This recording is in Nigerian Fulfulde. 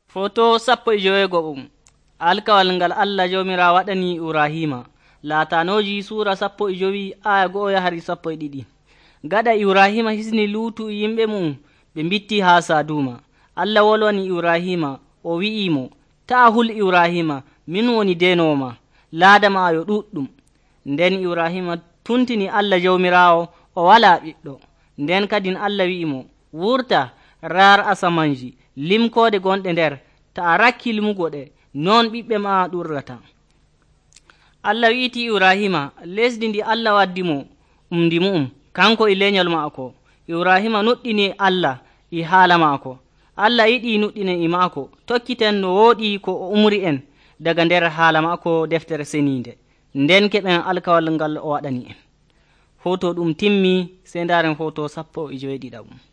Foto 15 alkawal ngal Allah jawmirawo waɗani Ibrahima. Laatanoji sura 15 aya 1 yahari 12. Gaɗa Ibrahima hisni Luutu yimɓe mum ɓe mbitti haa Saduma. Allah wolwani Ibrahima o wi'imo, taa hul Ibrahima, min woni denowo ma, laada ma yo ɗuɗɗum. Nden Ibrahima tuntini Allah jawmirawo o walaa ɓiɗɗo. Nden kadin Allah wi'imo, wurta raar asamanji limkoode gonɗe nder, ta a rakki limugo ɗe, non ɓiɓɓe ma ɗurrata. Allah wi'iti Ibrahima lesdi ndi Allah waddimo ndi mu'um, kanko e lenyol maako. Ibrahima nuɗɗini Allah e haala maako. Allah yiɗi nuɗɗinen e maako, tokkiten no wooɗi ko o umri en daga nder haala maako deftere seniinde. Nden keɓen alkawal ngal o waɗani en. Hoto ɗum timmi, sey ndaren hoto 17.